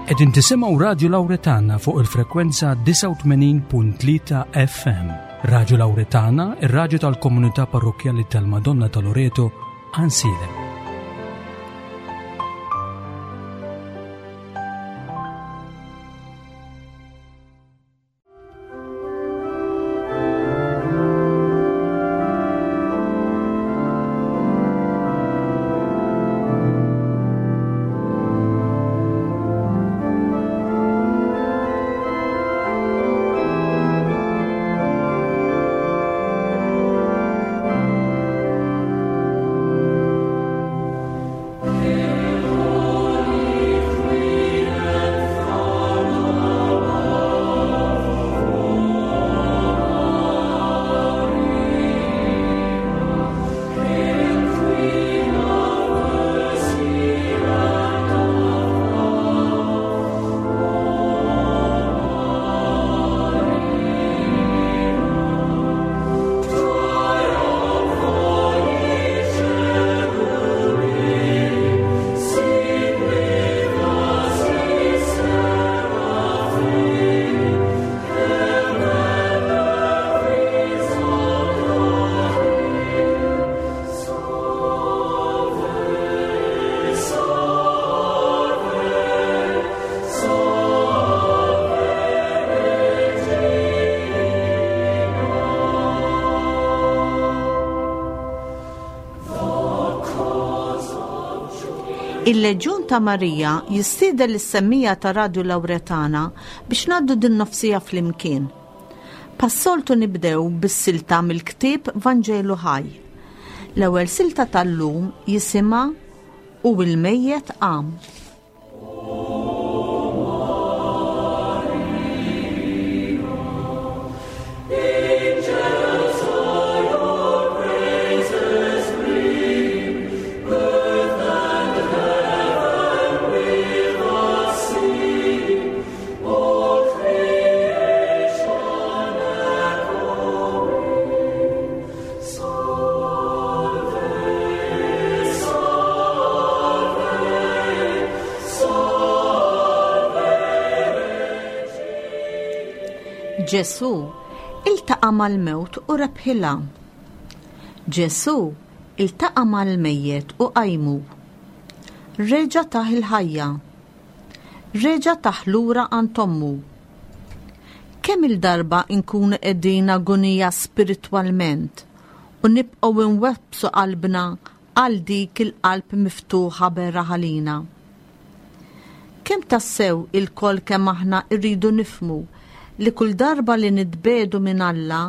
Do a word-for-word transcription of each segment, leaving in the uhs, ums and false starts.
Qegħdin tisimgħu Radio Lauretana fuq il-frekwenza disgħa u tmenin punt tlieta F M. Radio Lauretana, ir-radju tal-Komunità Parrokkjali tal-Madonna ta' Loreto, Għajnsielem. Il-Leġjun ta' Marija jistieden lis-semmiegħa ta' Radio Lauretana biex ngħaddu din nofs-siegħa flimkien. Bħas-soltu nibdew bis-silta mill-ktieb Vanġelu Ħaj. L-ewwel silta tal-lum jisimha "U il-mejjet qam". Ġesu iltaqa' mal-mewt u rebħilha. Ġesu iltaqa' mal-mejjet u qajmu. Reġa' tah il-ħajja. Reġa' tah lura għand ommu. Kemm il-darba nkunu qegħdin agonija spiritwalment u nibqgħu nwebbsu qalbna għal dik il-qalb miftuħa beraħ għalina. Kemm tassew ilkoll kemm aħna rridu nifhmu li kull darba li nitbiegħdu minn Alla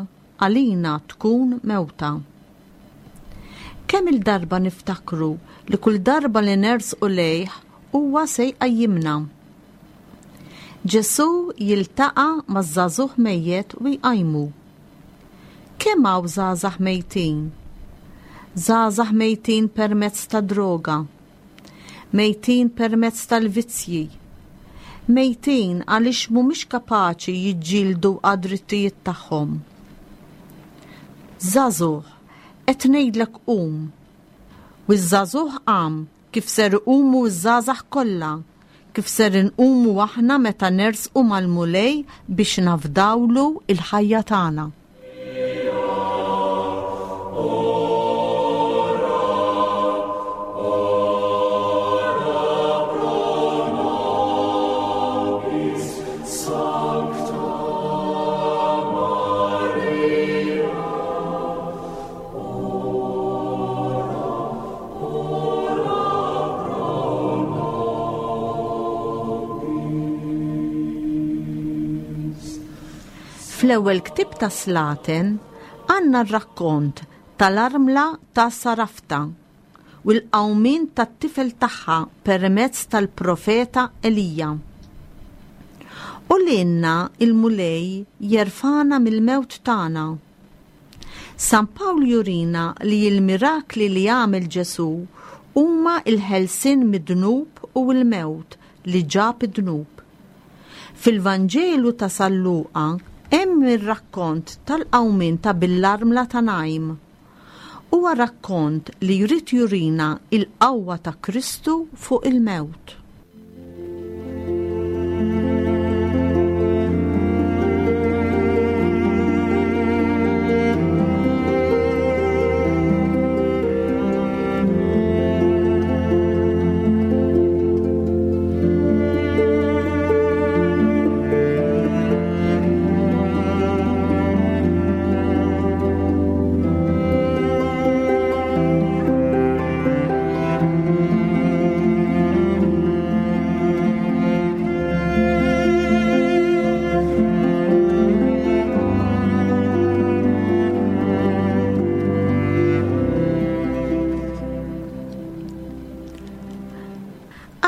għalina tkun mewta. Kemm il-darba niftakru li kull darba li nersqu lejh huwa se jqajjimna. Ġesu jiltaqa' maż-żagħżugħ mejjet u jqajmu. Kemm hawn żgħażagħ mejtin? Żgħażagħ mejtin permezz ta' droga, mejtin permezz tal-vizzji, mejtin għaliex mhumiex kapaċi jiġġieldu għad-drittijiet tagħhom. Żagħżugħ, qed ngħidlek qum. U ż-żagħżugħ qam kif ser iqumu ż-żgħażagħ kollha, kif ser inqumu aħna meta nersqu mal-Mulej biex nafdawlu il-ħajja tagħna. Fl-ewwel ktieb ta' Slaten għandna r-rakkont tal-armla ta' Sarafta u l-qawmien tat-tifel tagħha permezz tal-profeta Elija. U lilna il-Mulej jerfagħna mill-mewt tagħna. San Pawl jurina li l-mirakli li għamel Ġesu huma il-ħelsien mid-dnub u l-mewt li ġab id-dnub. Fil-Vanġelu ta' San Luqa hemm ir-rakkont tal-qawmien ta' bin l-armla ta' Najm. Huwa rakkont li jrid jurina il-qawwa ta' Kristu fuq il-mewt.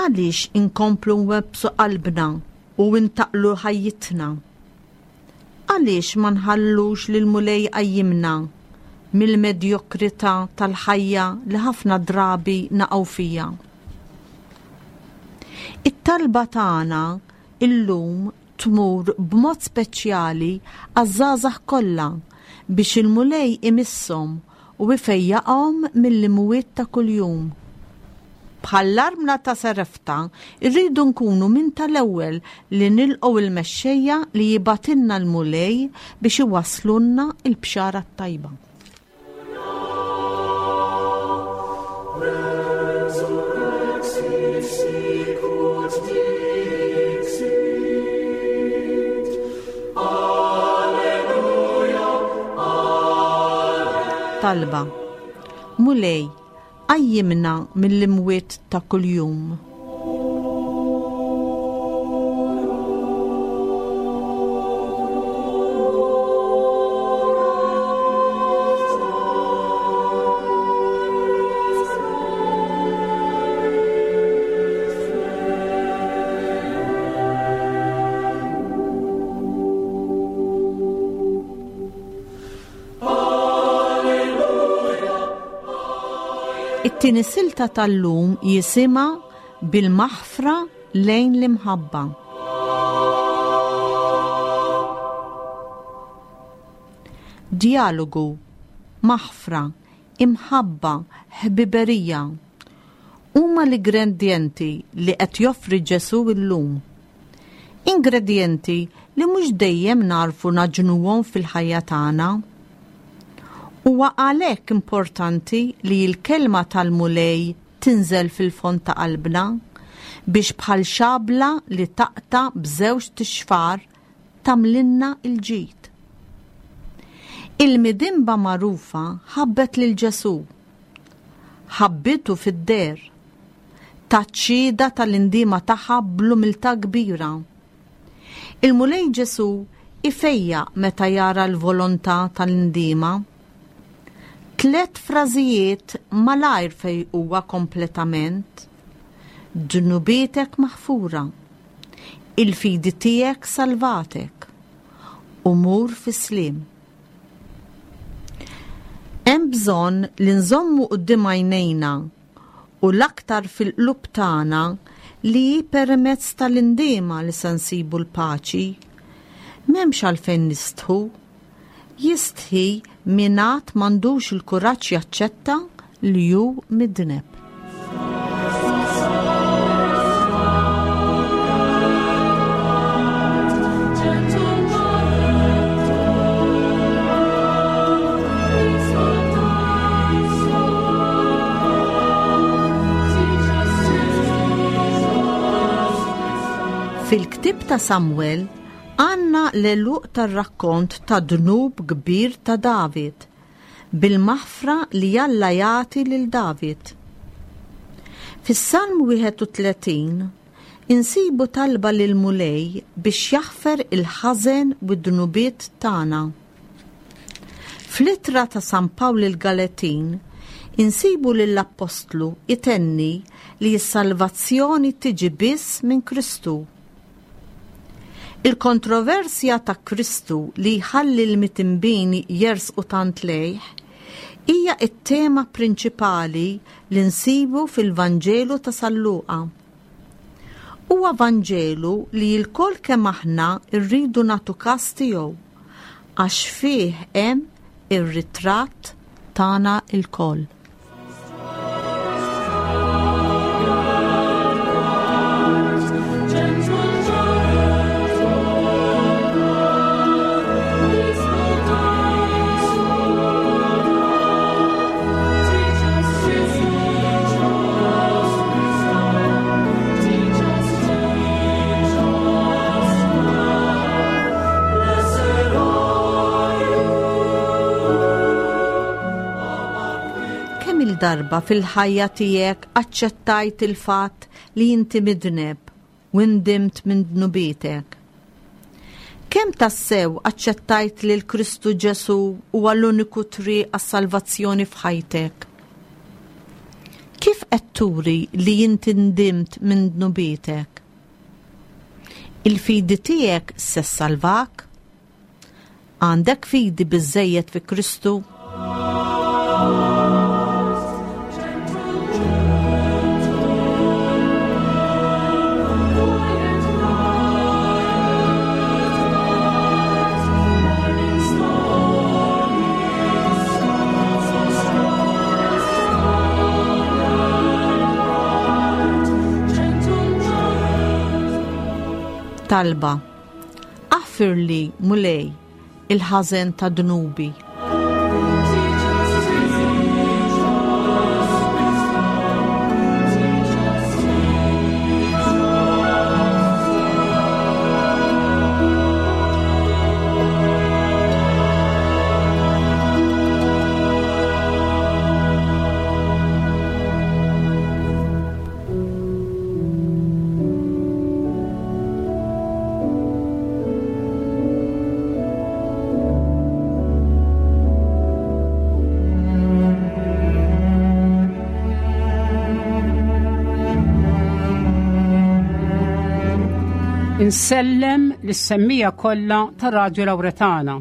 Għaliex inkomplu nwebbsu qalbna u ntaqlu ħajjitna? Għaliex ma nħallux lil Mulej iqajjimna mill-medjokrità tal-ħajja li ħafna drabi naqgħu fija? It-talba tagħna illum tmur b'mod speċjali għaż-żgħażagħ kollha biex il-Mulej imisshom u ifejjaqhom mill-imwiet ta' kuljum. Bħall-armla ta' Sarefta, irridu nkunu minn tal-ewwel li nilqgħu il-mexxejja li jibgħatilna l-Mulej biex iwasslulna l-bxara t-tajba. Talba. Mulej, qajjimna mill-imwiet ta' kuljum. It-tieni silta tal-lum jisimha bil-maħfra lejn l-imħabba. Dialogu, maħfra, imħabba, ħbiberija huma l-ingredjenti li qed joffri Ġesù llum. Ingredjenti li mhux dejjem narfu naġnuhom fil-ħajja tagħna. Huwa għalhekk importanti li l-kelma tal-Mulej tinżel fil-fond ta' qalbna biex bħal xabla li taqta' b'żewġ tixfar tagħmlilna l-ġid. Il-midinba magħrufa ħabbet lil Ġesù, ħabbitu fid-der, taċ-xhieda tal-indiema tagħha bl-umiltà kbira. Il-Mulej Ġesù ifejjaq meta jara l-volontà tal-indiema. Tlet frażijiet malajr fejquha kompletament. Dnubietek maħfura, il-fidi tiegħek salvatek, u mur fis-sliem. Hemm bżonn li nżommu quddiem għajnejna u l-aktar fil-qlub tagħna li permezz tal-indiema li se nsibu l-paċi. M'hemmx għalfejn nistħu. Jistħi min għad m'għandux il-kuraġġ jaċċetta li hu midneb. Fil-ktieb ta' Samuel għandna l-għeluq tar-rakkont ta' dnub kbir ta' David, bil-maħfra li Alla jagħti lil David. Fis-Salm wieħed u tletin insibu talba lil Mulej biex jaħfer il-ħażen u d-dnubiet tagħna. Fl-ittra ta' San Pawl il-Galatin insibu lill-Appostlu itenni li s-salvazzjoni tiġi biss minn Kristu. Il-kontroversja ta' Kristu li jħalli l-mitinbin jersqu tant lejh hija t-tema prinċipali li nsibu fil-Vanġelu ta' San Luqa. Huwa Vanġelu li lkoll kemm aħna rridu nagħtu każ tiegħu għax fih hemm ir-ritratt tagħna lkoll. Darba fil-ħajja tiegħek aċċettajt il-fatt li inti midneb u ndimt minn dnubietek. Kemm tassew aċċettajt li l-Kristu Ġesù huwa l-uniku triq għas-salvazzjoni f'ħajtek? Kif qed turi li inti ndimt minn dnubietek? Il-fidi tiegħek se ssalvak? Għandek fidi biżżejjed fi Kristu? Talba. Aħfirli, Mulej, il-ħażen ta' dnubi. Insellem lis-semmija kollha ta' Radju Lawretana.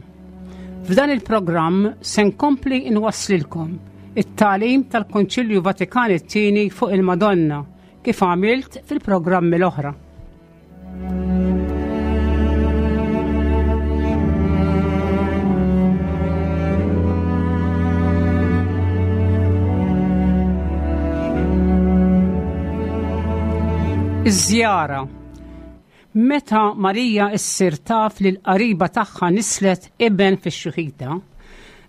F'dan il-programm se nkompli nwasslilkom it-tagħlim tal-Konċilju Vatikan it-tieni fuq il-Madonna kif għamilt fil-programmi l-oħra. Iż-żjara. Meta Marija issir taf li l-qariba tagħha nislet iben fix-xuħita,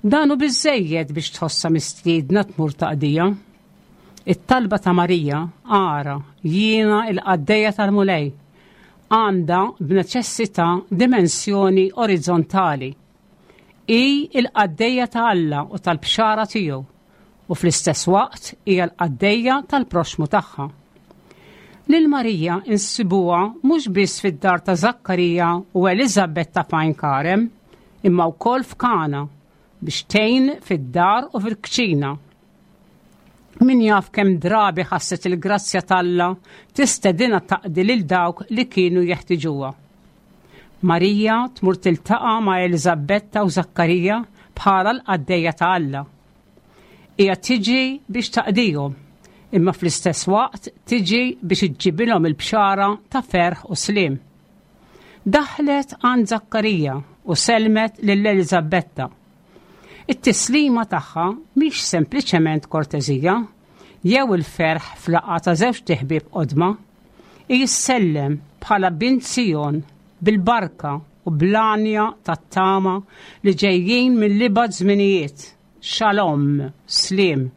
dan hu biżżejjed biex tħossha mistiedna tmur taqdija. It-talba ta' Marija, ara, jiena il-qaddejja tal-Mulej, għandha b'neċessità dimensjoni orizzontali. Hi il-qaddejja ta' Alla u tal-bxara tiegħu, u fl-istess waqt hija l-qaddejja tal-proxmu tagħha. Lil Marija insibuha mhux biss fid-dar ta' Zakkarija u Eliżabetta f'Għajn Karem, imma wkoll f'Kana biex tgħin fid-dar u fil-kċina. Min jaf kemm drabi ħasset il-grazzja t'Alla tistedinha taqdi lil dawk li kienu jeħtiġuha. Marija tmur tiltaqa' ma' Eliżabetta u Zakkarija bħala l-qaddejja ta' Alla. Hija tiġi biex taqdihom, imma fl-istess waqt tiġi biex iġġibilhom il-bxara ta' ferħ u sliem. Daħlet għand Zakkarija u selmet lil Eliżabetta. It-tislima tagħha mhix sempliċement korteżija jew il-ferħ f'laqgħa ta' żewġ ħbieb qodma. Hi ssellem bħala bint Sijon bil-barka u bl-għanja tat-tama li ġejjin mill-ibgħad żminijiet. Shalom, sliem.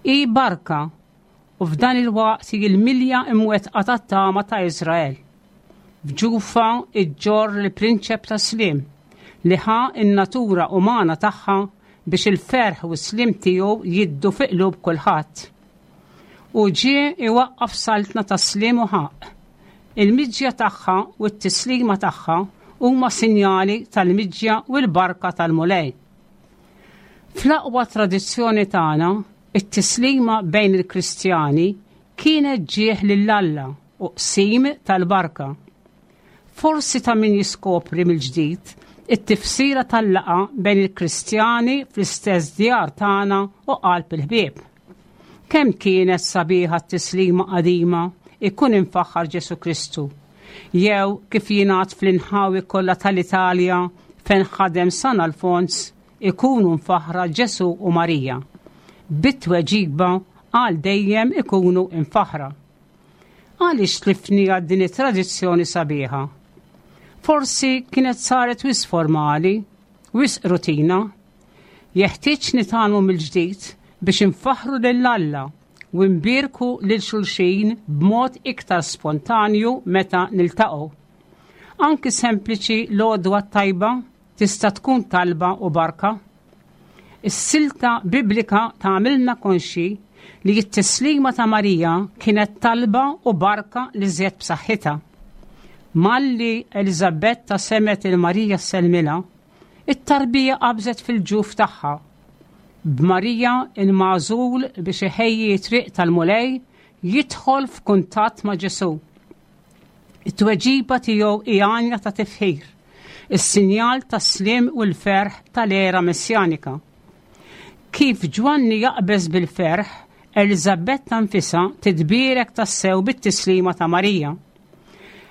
Hi barka u f'dan il-waqt hi l-milja imwettqa tat-tama ta' Iżrael. F'ġufa iġġorr il-prinċep ta' sliem li ħa n-natura umana tagħha biex il-ferħ u s-sliem tiegħu jiddu fi qlub kulħadd. U ġie iwaqqaf saltna ta' sliem u ħaqq. Il-miġja tagħha u t-tislima tagħha huma sinjali tal-miġja u l-barka tal-Mulej. Fl-aqwa tradizzjoni tagħna, it-tislima bejn il-Kristjani kienet ġieħ lil Alla u qsim tal-barka. Forsi ta' min jiskopri mill-ġdid it-tifsira tal-laqgħa bejn il-Kristjani fl-istess djar tagħna u qalb il-ħbieb. Kemm kienet sabiħa t-tislima qadima ikun infaħħar Ġesu Kristu, jew kif jingħad fl-inħawi kollha tal-Italja fejn ħadem San Alfons ikunu nfaħra Ġesu u Marija. Bit-tweġiba għal dejjem ikunu infaħra. Għaliex tlifni għad din it-tradizzjoni sabiħa? Forsi kienet saret wisq formali, wisq rutina. Jeħtieġ nitgħallmu mill-ġdid biex infaħħru lil Alla u nbierku lil xulxin b'mod iktar spontanju meta niltaqgħu. Anki sempliċi l-għodwa tajba tista' tkun talba u barka. Is-silta biblika tagħmilna konxi li t-tislima ta' Marija kienet talba u barka li żjed b'saħħitha. Malli Eliżabetta semgħet il Marija sellmilha, it-tarbija qabżet fil-ġuf tagħha. B'Marija, il-magħżul biex iħejji triq tal-Mulej, jidħol f'kuntatt ma' Ġesù. It-tweġiba tiegħu hi għanja ta' tifħir, is-sinjal tas-slim u l-ferħ tal-era messjanika. Kif Ġwanni jaqbeż bil-ferħ, Eliżabetta nfisha titbierek tassew bit-tislima ta' Marija.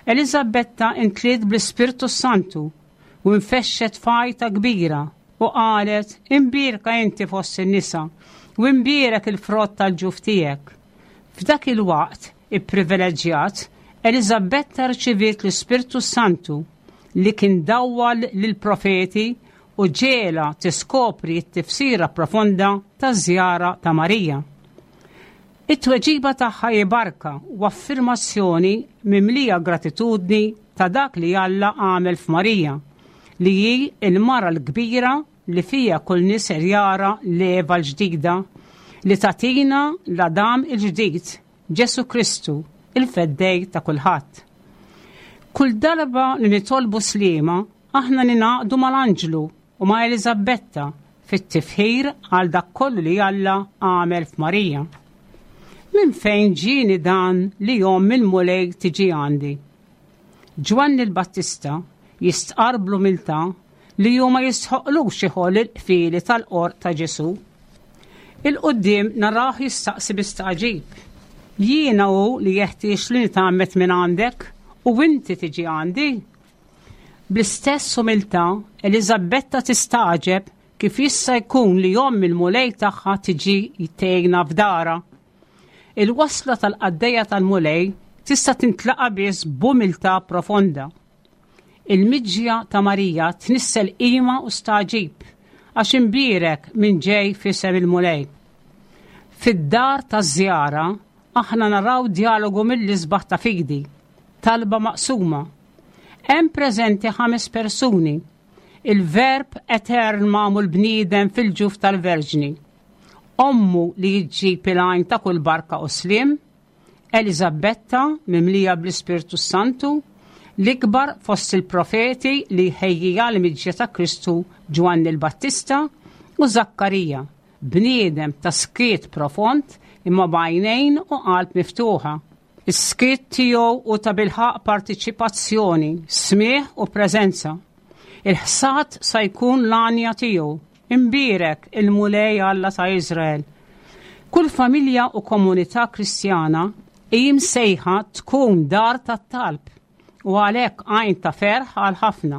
Eliżabetta imtliet bl-Ispirtu Santu u nfexxet f'għajta kbira u qalet: "Imbierka inti fost in-nisa u imbierek il-frott tal-ġuf tiegħek." F'dak il-waqt ipprivileġġjat, Eliżabetta rċiviet l-Ispirtu Santu li kien dawwal lill-profeti u ġiegħelha tiskopri t-tifsira profonda taż-żjara ta' Marija. It-tweġiba tagħha hi barka u affermazzjoni mimlija gratitudni ta' dak li Alla għamel f'Marija, li hi il-mara l-kbira li fija kull nisel jara l-Eva l-ġdida li tagħtina l-Adam il-ġdid, Ġesù Kristu, il-feddej ta' kulħadd. Kull darba li nitolbu slima, aħna ningħaqdu mal-anġlu u ma' Eliżabetta fit-tifħir għal dak kollu li Alla għamel f'Marija. Minn fejn ġieni dan li omm il-Mulej tiġi għandi? Ġwanni l-Battista jistqar bl-umiltà li hu ma jistħoqlux iħoll il-qfieli tal-qorq ta' Ġesù. 'Il quddiem narah jistaqsi b'istagħġib: "Jiena hu li jeħtieġ li nitgħammed minn għandek u inti tiġi għandi?" Bl-istess umiltà, Eliżabetta tistagħġeb kif jista' jkun li omm il-Mulej tagħha tiġi tgħinha f'darha. Il-wasla tal-qaddejja tal-Mulej tista' tintlaqa biss b'umiltà profonda. Il-miġja ta' Marija tnissel qima u stagħġib għax imbierek min ġej f'isem il-Mulej. Fid-dar taż-żjara aħna naraw dialogu mill-isbaħ ta' fidi, talba maqsuma. Hemm preżenti ħames persuni: il-Verb etern magħmul bniedem fil-ġuf tal-Verġni, ommu li ġġib il-għajn ta' kull barka u slim, Eliżabetta mimlija bl-Ispirtu Santu, l-ikbar fost il-profeti li ħejjija l-miġja ta' Kristu, Ġwanni l-Battista, u Zakkarija, bniedem ta' skiet profond imma b'għajnejn u qalb miftuħa. Is-skiet tiegħu hu tabilħaqq partiċipazzjoni, smigħ u preżenza. Il-ħsad sa jkun l-għanja tiegħu: "Imbierek il-Mulej Alla ta' Izrael." Kull familja u komunità Kristjana hi msejħa tkun dar tat-talb u għalhekk għajn ta' ferħ għal ħafna.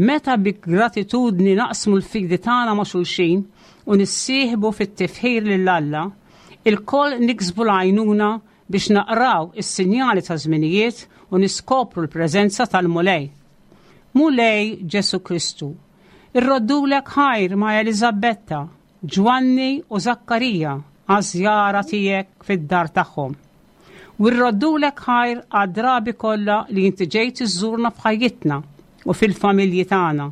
Meta bi gratitudni naqsmu l-fidi tagħna ma' xulxin u nissieħbu fit-tifħir lil Alla, ilkoll niksbu l-għajnuna biex naqraw is-sinjali ta' żminijiet u niskopru l-preżenza tal-Mulej. Mulej Ġesù Kristu, irroddulek ħajr ma' Eliżabetta, Ġwanni u Zakkarija għaż-żjara tiegħek fid-dar tagħhom. U rroddulek ħajr għad-drabi kollha li inti ġejt iżżurna f'ħajjitna u fil-familji tagħna.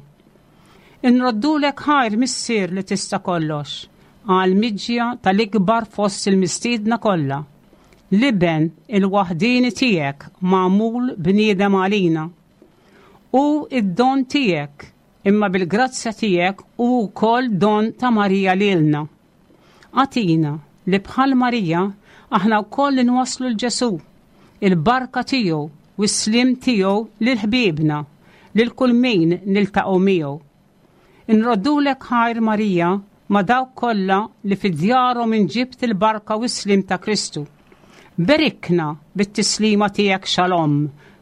Inroddulek ħajr, Missier li tista' kollox, għal miġja tal-ikbar fost il-mistiedna kollha, l-Iben il-waħdini tiegħek magħmul bniedem għalina. Hu id-don tiegħek, imma bil-grazzja tiegħek hu wkoll don ta' Marija lilna. Agħtina li bħal Marija aħna wkoll nwasslu 'l Ġesù, il-barka tiegħu u s-slim tiegħu lil ħbiebna, lil kull min niltaqgħu miegħu. Inroddulek ħajr, Marija, ma' dawk kollha li fi djarhom inġibt il-barka u s-slim ta' Kristu. Berikna bit-tislima tiegħek xalom,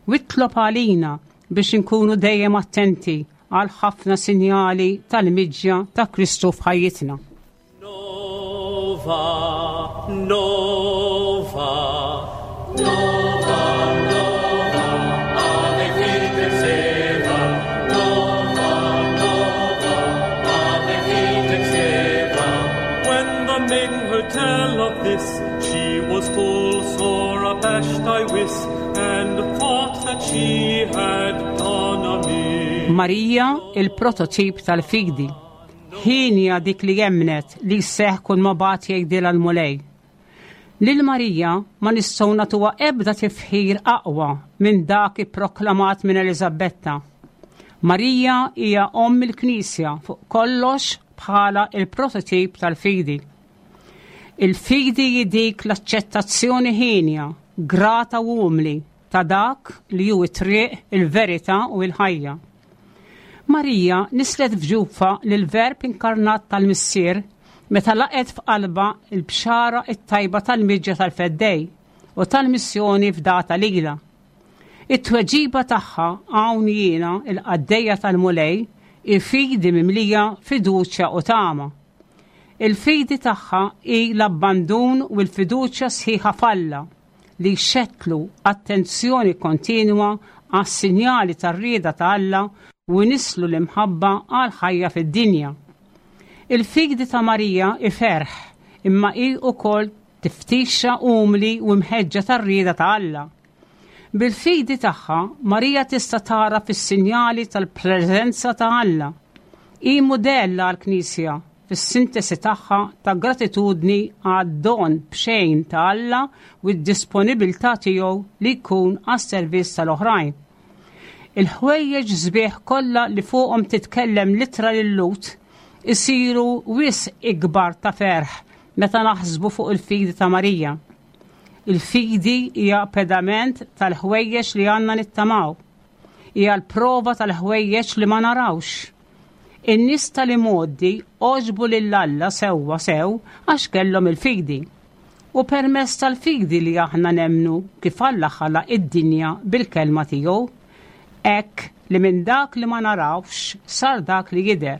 u itlob għalina biex inkunu dejjem attenti għal ħafna sinjali tal-miġja ta' Kristu f'ħajjitna. Nova, nova, nova, nova, ave fitem seva. Nova, nova, ave fitem seva. When the maiden heard tell of this, she was full sore abashed, I wis, and thought that she had done amiss. Marija, il-prototip tal-fidi. Hienja dik li emmnet li jseħħ kull ma bagħat jgħidilha l-Mulej. Lil Marija ma nistgħu nagħtuha ebda tifħir aqwa minn dak ipproklamat minn Eliżabetta. Marija hija omm il-Knisja, fuq kollox bħala il-prototip tal-fidi. Il-fidi hi dik l-aċċettazzjoni ħienja, grata u umli ta' dak li hu it-triq, il-verità u l-ħajja. Marija nislet f'ġufha l-Verb inkarnat tal-Missier meta laqgħet f'qalba il-bxara it-tajba tal-miġja tal-Feddej u tal-missjoni fdata lilha. It-tweġiba tagħha "Hawn jiena, il-qaddejja tal-Mulej" hi fidi mimlija fiduċja u tama. Il-fidi tagħha hi l-abbandun u l-fiduċja sħiħa f'Alla li xettlu attenzjoni kontinwa għas-sinjali tar-rieda ta' Alla u nislu l-imħabba għal ħajja fid-dinja. Il-fidi ta' Marija hi ferħ, imma hi wkoll tiftixa umli u mħeġġa tar-rieda ta' Alla. Bil-fidi tagħha Marija tista' tara fis-sinjali tal-preżenza ta' Alla. Hi mudell għall-Knisja fis-sintesi tagħha ta' gratitudni għad-don b'xejn ta' Alla u d-disponibilità tiegħu li jkun għas-servizz tal-oħrajn. Il-ħwejjeġ sbieħ kollha li fuqhom titkellem l-Ittra lil-Lhud isiru wisq ikbar ta' ferħ meta naħsbu fuq il-fidi ta' Marija. Il-fidi hija pedament tal-ħwejjeġ li għandna nittamaw. Hija l-prova tal-ħwejjeġ li ma narawx. In-nies tal-imgħoddi għoġbu lil Alla sewwa sew għax kellhom il-fidi. U permezz tal-fidi li aħna nemmnu kif Alla ħalaq id-dinja bil-kelma tiegħu, hekk li minn dak li ma narawx sar dak li jidher.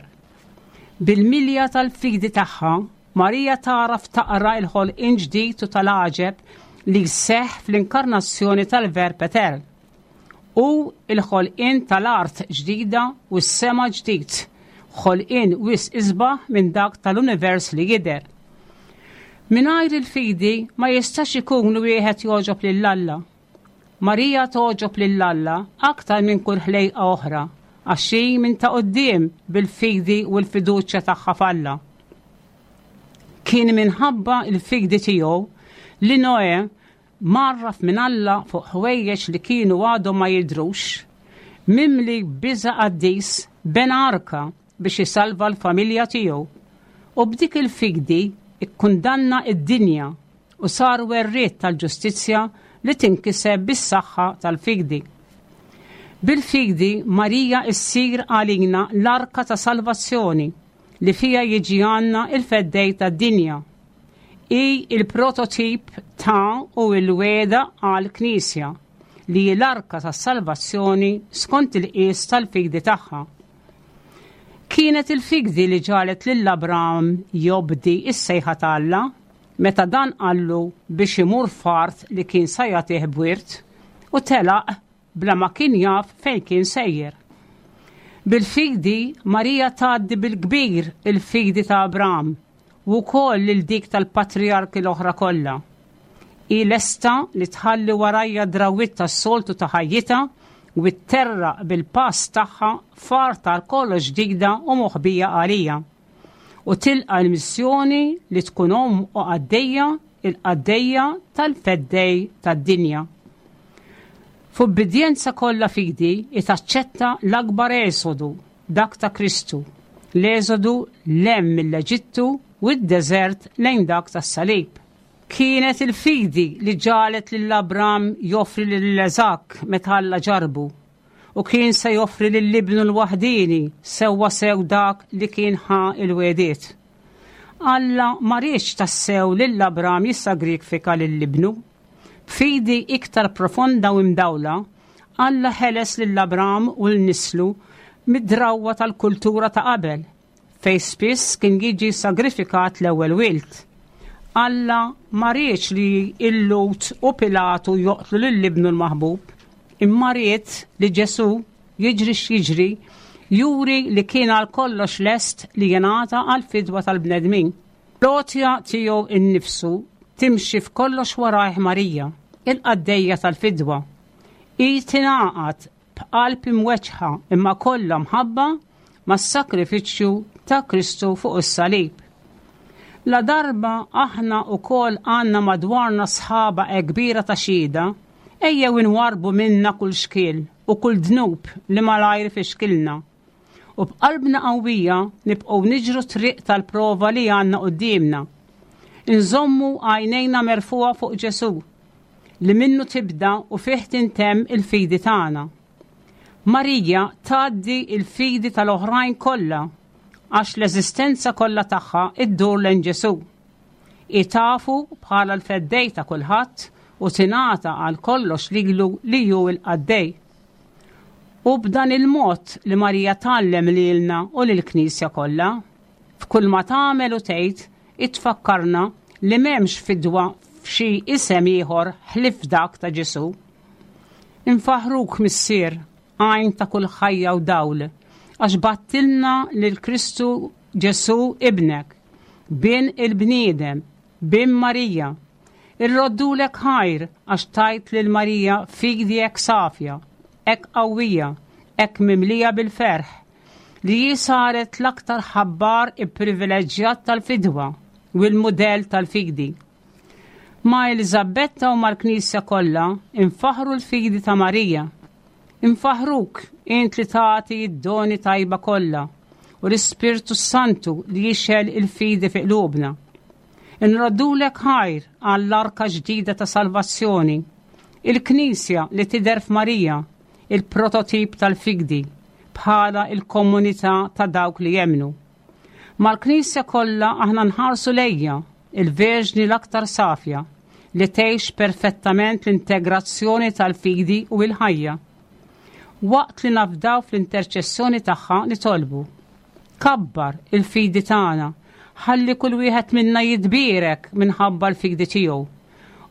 Bil-milja tal-fidi tagħha, Marija tagħraf taqra il-ħolqien ġdid u tal-għaġeb li seħ fl-inkarnazzjoni tal-Verb Etern u il-ħolqien tal-art ġdida u s-sema ġdid, ħolqien wisq isbaħ minn dak tal-univers li jidher. Mingħajr il-fidi ma jistax ikun wieħed jogħġob lil Alla. Marija togħġob lil Alla aktar minn kull ħlejqa oħra, għax hi minn ta' quddiem bil-fidi u l-fiduċja tagħha f'Alla. Kien minħabba il-fidi tiegħu li Noe, mgħarraf minn Alla fuq ħwejjeġ li kienu għadhom ma jidrux, mimli biża qaddis, bena arka biex jisalva l-familja tiegħu. U b'dik il-fidi ikkundanna id-dinja u sar werriet tal-ġustizzja li tinkiseb bis-saħħa tal-fidi. Bil-fidi Marija issir għalina l-arka ta' salvazzjoni li fija jiġi għandna il-Feddej tad-dinja. Hi il-prototip ta' u il-wegħda għal-Knisja li l-arka ta' salvazzjoni skont il-qies tal-fidi tagħha. Kienet il-fidi li ġagħlet lil Abram jobdi is-sejħa ta' Alla meta dan qallu biex imur f'art li kien sa jagħtih b'wirt u telaq bla ma kien jaf fejn kien sejjer. Bil-fidi Marija tgħaddi bil-kbir il-fidi ta' Abram u wkoll lil dik tal-patrijarki l-oħra kollha. Hi lesta li tħalli warajha drawwiet tas-soltu ta' ħajjitha u tterraq bil-pass tagħha f'art għal kollox ġdida u moħbija għalija. U tilqa l-missjoni li tkun omm u qaddejja, il-qaddejja tal-Feddej tad-dinja. F'ubbidjenza kollha fidi taċċetta l-akbar esodu, dak ta' Kristu, l-esodu 'l hemm mill-Eġittu u d-deżert lejn dak tas-salib. Kienet il-fidi li ġagħlet lil Abram joffri lil Iżakk meta Alla ġarbu u kien se joffri lil ibnu l-waħdini, sewwa sew dak li kien ħa il-wegħdiet. Alla ma riedx tassew lil Abram jissagrifika lil ibnu. B'fidi iktar profonda u imdawla, Alla ħeles lil Abram u lil nislu mid-drawwa tal-kultura ta' qabel, fej spiss kien jiġi sagrifikat l-ewwel wild. Alla ma riedx li il-Lhud u Pilatu joqtlu lil ibnu l-maħbub, imma ried li Ġesu, jiġri x'jiġri, juri li kien għal kollox lest li jingħata għal fidwa tal-bnedmin. L-għotja tiegħu innifsu timxi f'kollox warajh Marija, il-qaddejja tal-fidwa. Hi tingħaqad b'qalb imweġġħa imma kollha mħabba mas-sakrifiċċju ta' Kristu fuq is-salib. La darba aħna wkoll għandna madwarna sħaba kbira ta' xhieda, ejjew inwarbu minna kull xkiel u kull dnub li malajr fixkilna. U b'qalbna qawwija nibqgħu niġru triq tal-prova li għandna quddiemna. Inżommu għajnejna merfugħa fuq Ġesù li minnu tibda u fih tintemm il-fidi tagħna. Marija tgħaddi il-fidi tal-oħrajn kollha għax l-eżistenza kollha tagħha iddur lejn Ġesù. Itafu bħala l-feddej ta' kulħadd u tingħata għal kollox lilu li hu l-qaddej. U b'dan il-mod li Marija tgħallem lilna u lill-Knisja kollha, f'kull ma tagħmel u tgħid itfakkarna li m'hemmx fidwa f'xi isem ieħor ħlief dak ta' Ġesù. Infaħruk Missier, għajn ta' kull ħajja u dawl, għax bgħattilna lil Kristu Ġesù ibnek, bin il-bniedem, bin Marija. Irroddulek ħajr għax tajt lil Marija fidi hekk safja, hekk qawwija, hekk mimlija bil-ferħ, li hi saret l-aktar ħabbar ipprivileġġjat tal-fidwa u l-mudell tal-fidi. Ma' Eliżabetta u mal-Knisja kollha infaħru l-fidi ta' Marija. Infaħruk int li tagħti d-doni tajba kollha u l-Ispirtu Santu li jixgħel il-fidi fi qlubna. Inroddulek ħajr għall-arka ġdida ta' salvazzjoni, il-Knisja li tidher f'Marija, il-prototip tal-fidi, bħala il-komunità ta' dawk li jemmnu. Mal-Knisja kollha aħna nħarsu lejha, il-Verġni l-aktar safja, li tgħix perfettament l-integrazzjoni tal-fidi u l-ħajja. Waqt li nafdaw fl-interċessjoni tagħha nitolbu. Kabbar il-fidi tagħna, ħalli kull wieħed minna jitbierek minħabba l-fidi tiegħu.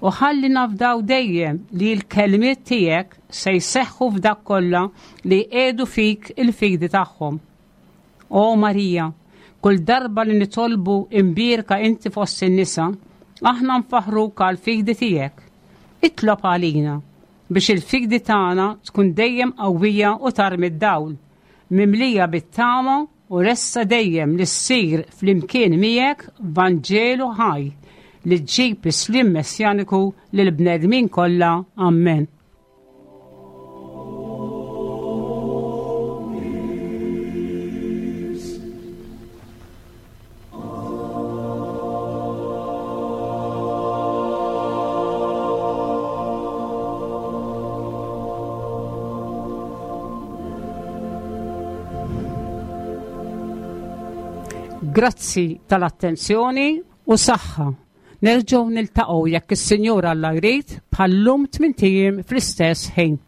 U ħalli nafdaw dejjem li l-kelmiet tiegħek se jseħħu f'dak kollha li jqiegħdu fik il-fidi tagħhom. O Marija, kull darba li nitolbu imbierka inti fost in-nisa, aħna nfaħruk għal fidi tiegħek. Itlob għalina biex il-fidi tagħna tkun dejjem qawwija u tarmi d-dawl, mimlija bit-tama u lesta dejjem li ssir flimkien miegħek Vanġelu ħaj li ġġib is-sliem messjaniku lill-bnedmin kollha. Amen. Grazzi tal-attenzjoni u saħħa. Nerġgħu niltaqgħu jekk is-Sinjur Alla jrid bħal-lum tmint ijiem fl-istess ħin.